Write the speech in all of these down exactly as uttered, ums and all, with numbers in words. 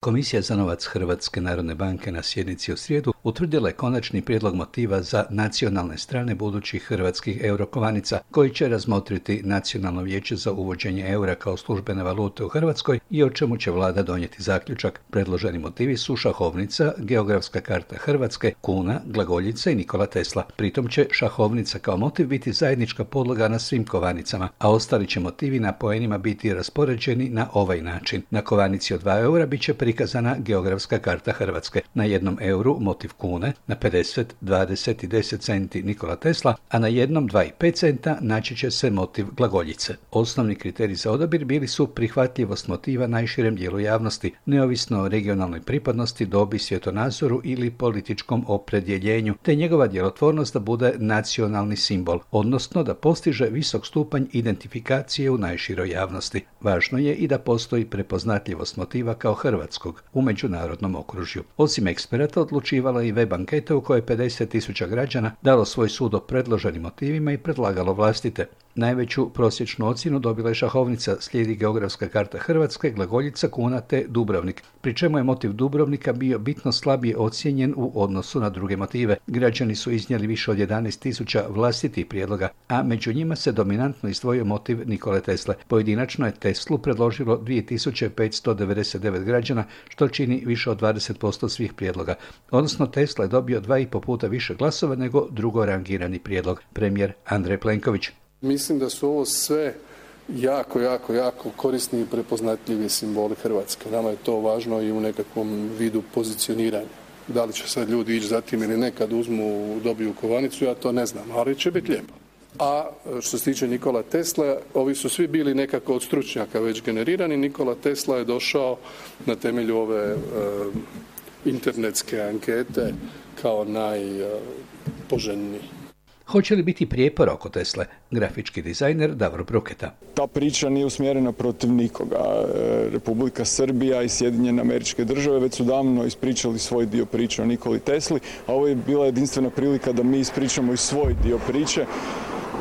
Komisija za novac Hrvatske narodne banke na sjednici u srijedu utvrdila je konačni prijedlog motiva za nacionalne strane budućih hrvatskih eurokovanica, koji će razmotriti Nacionalno vijeće za uvođenje eura kao službene valute u Hrvatskoj i o čemu će vlada donijeti zaključak. Predloženi motivi su šahovnica, geografska karta Hrvatske, kuna, glagoljica i Nikola Tesla. Pritom će šahovnica kao motiv biti zajednička podloga na svim kovanicama, a ostali će motivi na poenima biti raspoređeni na ovaj način. Na kovanici od dva eura bit će prikazana geografska karta Hrvatske. Na jednom euru motiv kune, na pedeset, dvadeset i deset centi Nikola Tesla, a na jednom dva i pet centa naći će se motiv glagoljice. Osnovni kriterij za odabir bili su prihvatljivost motiva najširem dijelu javnosti, neovisno o regionalnoj pripadnosti, dobi, svjetonazoru ili političkom opredjeljenju, te njegova djelotvornost da bude nacionalni simbol, odnosno da postiže visok stupanj identifikacije u najširoj javnosti. Važno je i da postoji prepoznatljivost motiva kao hrvatskog u međunarodnom okružju. Osim eksperata odlučivala i web anketa u kojoj je pedeset tisuća građana dalo svoj sud o predloženim motivima i predlagalo vlastite. Najveću prosječnu ocjenu dobila je šahovnica, slijedi geografska karta Hrvatske, glagoljica, kuna te Dubrovnik, pri čemu je motiv Dubrovnika bio bitno slabije ocijenjen u odnosu na druge motive. Građani su iznijeli više od jedanaest tisuća vlastitih prijedloga, a među njima se dominantno izdvojio motiv Nikole Tesle. Pojedinačno je Teslu predložilo dvije tisuće petsto devedeset devet građana, što čini više od dvadeset posto svih prijedloga. Odnosno Tesla je dobio dva i po puta više glasova nego drugo rangirani prijedlog, premijer Andrej Plenković. Mislim da su ovo sve jako, jako, jako korisni i prepoznatljivi simboli Hrvatske. Nama je to važno i u nekakvom vidu pozicioniranja. Da li će sad ljudi ići za tim ili ne kad uzmu, dobiju kovanicu, ja to ne znam, ali će biti lijepo. A što se tiče Nikola Tesla, ovi su svi bili nekako od stručnjaka već generirani. Nikola Tesla je došao na temelju ove e, internetske ankete kao najpoželjniji. Hoće li biti prijepora oko Tesle? Grafički dizajner Davor Bruketa. Ta priča nije usmjerena protiv nikoga. Republika Srbija i Sjedinjene Američke Države već su davno ispričali svoj dio priče o Nikoli Tesli, a ovo je bila jedinstvena prilika da mi ispričamo i svoj dio priče.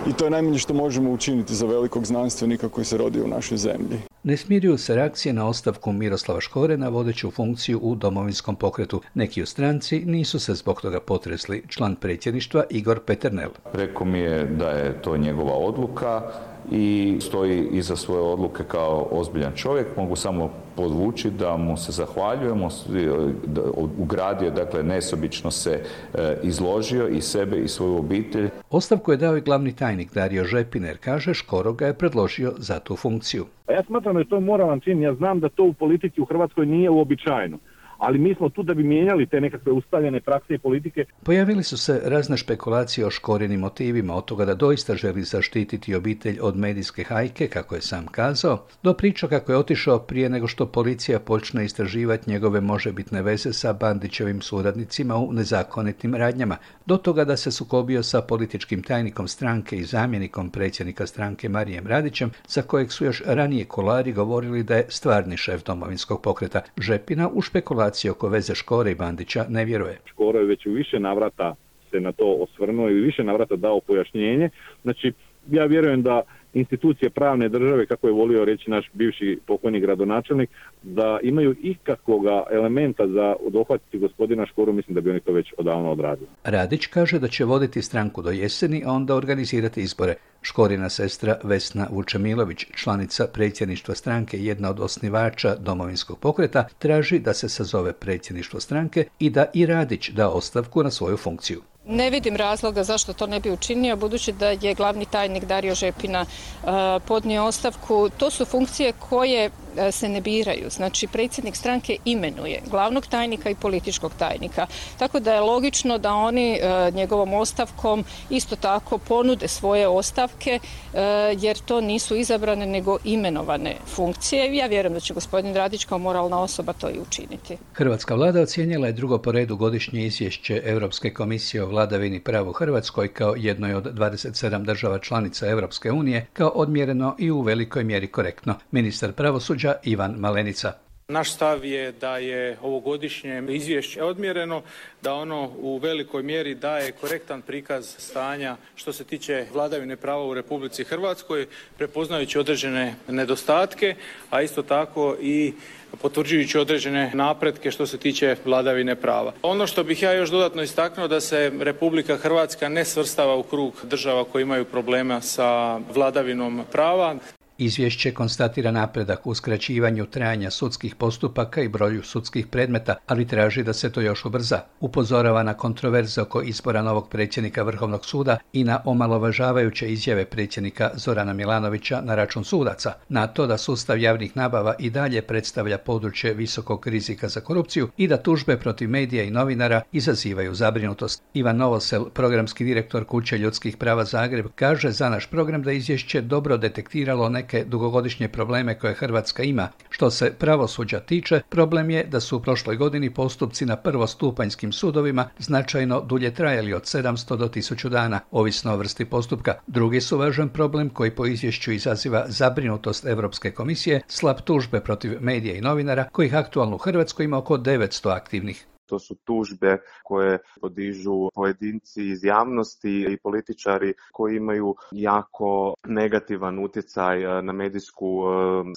I to je najmanje što možemo učiniti za velikog znanstvenika koji se rodio u našoj zemlji. Ne smiruju se reakcije na ostavku Miroslava Škore na vodeću funkciju u Domovinskom pokretu. Neki u stranci nisu se zbog toga potresli. Član predsjedništva Igor Peternel. Rekao mi je da je to njegova odluka i stoji iza svoje odluke kao ozbiljan čovjek. Mogu samo podvući da mu se zahvaljujemo, ugradio, dakle nesobično se izložio i sebe i svoju obitelj. Ostavku je dao i glavni tajnik Dario Žepin, jer kaže Škoro ga je predložio za tu funkciju. Ja smatram da je to moralan čin, ja znam da to u politici u Hrvatskoj nije uobičajeno. Ali mi smo tu da bi mijenjali te nekakve ustaljene prakse i politike. Pojavili su se razne špekulacije o Škorinim motivima, od toga da doista želi zaštititi obitelj od medijske hajke, kako je sam kazao, do priča kako je otišao prije nego što policija počne istraživati njegove možebitne veze sa Bandićevim suradnicima u nezakonitim radnjama, do toga da se sukobio sa političkim tajnikom stranke i zamjenikom predsjednika stranke Marijem Radićem, za kojeg su još ranije kolari govorili da je stvarni šef Domovinskog pokreta. Žepina u špekulaciji oko veze Škore i Bandića ne vjeruje. Škoro je već u više navrata se na to osvrnuo i više navrata dao pojašnjenje. Znači, ja vjerujem da institucije pravne države, kako je volio reći naš bivši pokojni gradonačelnik, da imaju ikakvoga elementa za dohvatiti gospodina Škoru, mislim da bi oni to već odavno odradili. Radić kaže da će voditi stranku do jeseni, a onda organizirati izbore. Škorina sestra Vesna Vučemilović, članica predsjedništva stranke i jedna od osnivača Domovinskog pokreta, traži da se sazove predsjedništvo stranke i da i Radić da ostavku na svoju funkciju. Ne vidim razloga zašto to ne bi učinio, budući da je glavni tajnik Dario Žepina uh, podnio ostavku. To su funkcije koje uh, se ne biraju. Znači, predsjednik stranke imenuje glavnog tajnika i političkog tajnika. Tako da je logično da oni uh, njegovom ostavkom isto tako ponude svoje ostavke, uh, jer to nisu izabrane nego imenovane funkcije. Ja vjerujem da će gospodin Radić kao moralna osoba to i učiniti. Hrvatska vlada ocijenila je drugo po redu godišnje izvješće Europske komisije o vladavini prava u Hrvatskoj kao jednoj od dvadeset sedam država članica Europske unije kao odmjereno i u velikoj mjeri korektno. Ministar pravosuđa Ivan Malenica. Naš stav je da je ovogodišnje izvješće odmjereno, da ono u velikoj mjeri daje korektan prikaz stanja što se tiče vladavine prava u Republici Hrvatskoj, prepoznajući određene nedostatke, a isto tako i potvrđujući određene napretke što se tiče vladavine prava. Ono što bih ja još dodatno istaknuo da se Republika Hrvatska ne svrstava u krug država koje imaju problema sa vladavinom prava. Izvješće konstatira napredak u skraćivanju trajanja sudskih postupaka i broju sudskih predmeta, ali traži da se to još ubrza. Upozorava na kontroverze oko izbora novog predsjednika Vrhovnog suda i na omalovažavajuće izjave predsjednika Zorana Milanovića na račun sudaca, na to da sustav javnih nabava i dalje predstavlja područje visokog rizika za korupciju i da tužbe protiv medija i novinara izazivaju zabrinutost. Ivan Novosel, programski direktor Kuće ljudskih prava Zagreb, kaže za naš program da izvješće dobro detektiralo neke dugogodišnje probleme koje Hrvatska ima. Što se pravosuđa tiče, problem je da su u prošloj godini postupci na prvostupanjskim sudovima značajno dulje trajali od sedamsto do tisuću dana, ovisno o vrsti postupka. Drugi su važan problem koji po izvješću izaziva zabrinutost Europske komisije, slab tužbe protiv medija i novinara, kojih aktualno u Hrvatskoj ima oko devetsto aktivnih. To su tužbe koje podižu pojedinci iz javnosti i političari koji imaju jako negativan utjecaj na medijsku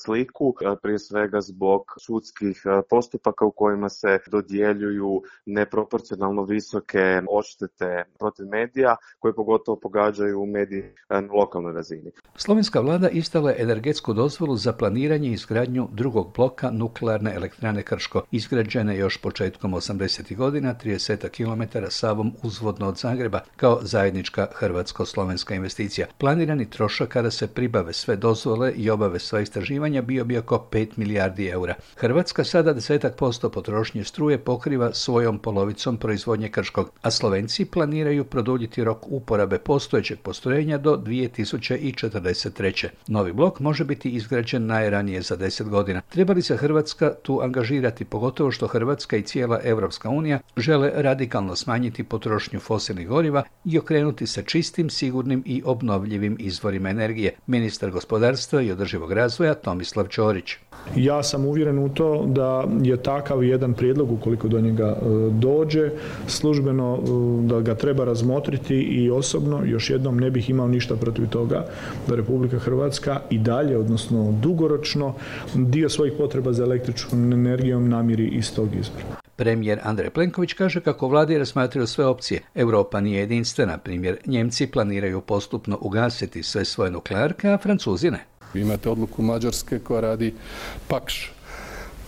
sliku, prije svega zbog sudskih postupaka u kojima se dodjeljuju neproporcionalno visoke odštete protiv medija koje pogotovo pogađaju medije na lokalnoj razini. Slovenska vlada izdala je energetsku dozvolu za planiranje i izgradnju drugog bloka nuklearne elektrane Krško, izgrađene još početkom osamdesetih godina, trideset kilometara Savom uzvodno od Zagreba, kao zajednička hrvatsko-slovenska investicija. Planirani trošak kada se pribave sve dozvole i obave sva istraživanja bio bi oko pet milijardi eura. Hrvatska sada desetak posto potrošnje struje pokriva svojom polovicom proizvodnje Krškog, a Slovenci planiraju produljiti rok uporabe postojećeg postrojenja do dvije tisuće četrdeset treće. Novi blok može biti izgrađen najranije za deset godina. Treba li se Hrvatska tu angažirati, pogotovo što Hrvatska i cijela Europska unija žele radikalno smanjiti potrošnju fosilnih goriva i okrenuti se čistim, sigurnim i obnovljivim izvorima energije. Ministar gospodarstva i održivog razvoja Tomislav Ćorić. Ja sam uvjeren u to da je takav jedan prijedlog, ukoliko do njega dođe, službeno da ga treba razmotriti i osobno još jednom ne bih imao ništa protiv toga da Republika Hrvatska i dalje, odnosno dugoročno, dio svojih potreba za električnom energijom namiri iz tog izvora. Premijer Andrej Plenković kaže kako vladi razmatraju sve opcije. Europa nije jedinstvena. Primjer, Njemci planiraju postupno ugasiti sve svoje nuklearke, a Francuzi ne. Imate odluku Mađarske koja radi Pakš,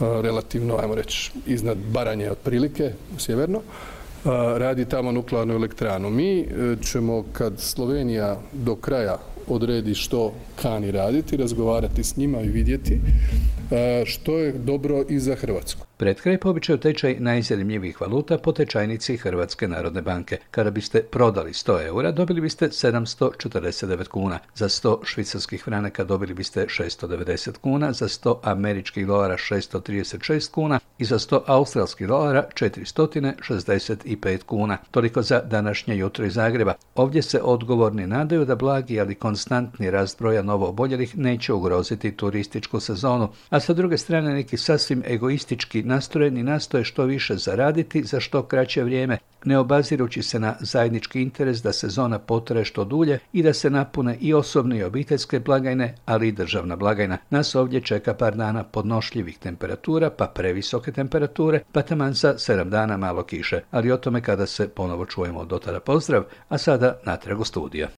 relativno, ajmo reći, iznad Baranje otprilike, sjeverno, radi tamo nuklearnu elektranu. Mi ćemo, kad Slovenija do kraja odredi što kani raditi, razgovarati s njima i vidjeti što je dobro i za Hrvatsku. Pred kraj po običaju tečaj najzanimljivijih valuta po tečajnici Hrvatske narodne banke. Kada biste prodali sto eura, dobili biste sedamsto četrdeset devet kuna. Za sto švicarskih franaka dobili biste šesto devedeset kuna, za sto američkih dolara šesto trideset šest kuna i za sto australskih dolara četiristo šezdeset pet kuna. Toliko za današnje jutro iz Zagreba. Ovdje se odgovorni nadaju da blagi, ali konstantni rast broja novooboljelih neće ugroziti turističku sezonu, a sa druge strane neki sasvim egoistički nastrojeni nastoje što više zaraditi za što kraće vrijeme, ne obazirući se na zajednički interes da sezona potraje što dulje i da se napune i osobne i obiteljske blagajne, ali i državna blagajna. Nas ovdje čeka par dana podnošljivih temperatura, pa previsoke temperature, pa taman za sedam dana malo kiše, ali o tome kada se ponovo čujemo. Do tada pozdrav, a sada natrag u studiju.